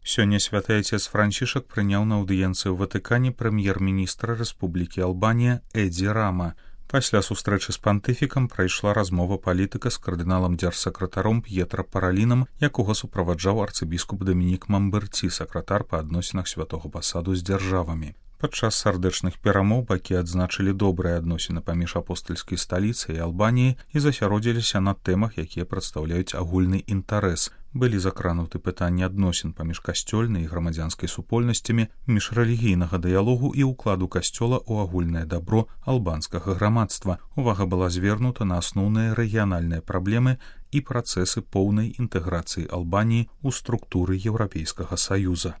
Сёння святы айцец Францішак прыняў на аўдыенцыі ў Ватыкане прэм'ер-міністра Рэспублікі Албанія Эдзі Рама. Пасля сустрэчы з пантыфікам прайшла размова палітыка з кардыналам-дзяржсакратаром П'етра Паралінам, якога суправаджаў арцыбіскуп Дамінік Мамберці, сакратар па адносінах святога пасаду з дзяржавамі. Падчас сардэчных перамоў бакі адзначылі добрыя адносіны паміж апостальскай сталіцай і Албаніяй і засяродзіліся на тэмах, якія прадстаўляюць агульны інтарэс. Былі закрануты пытанні адносін паміж касцёльнай і грамадзянскай супольнасцямі, міжрэлігійнага дыялогу і ўкладу касцёла ў агульнае дабро албанскага грамадства. Увага была звернута на асноўныя рэгіянальныя праблемы і працэсы поўнай інтэграцыі Албаніі ў структуры Еўрапейскага Саюза.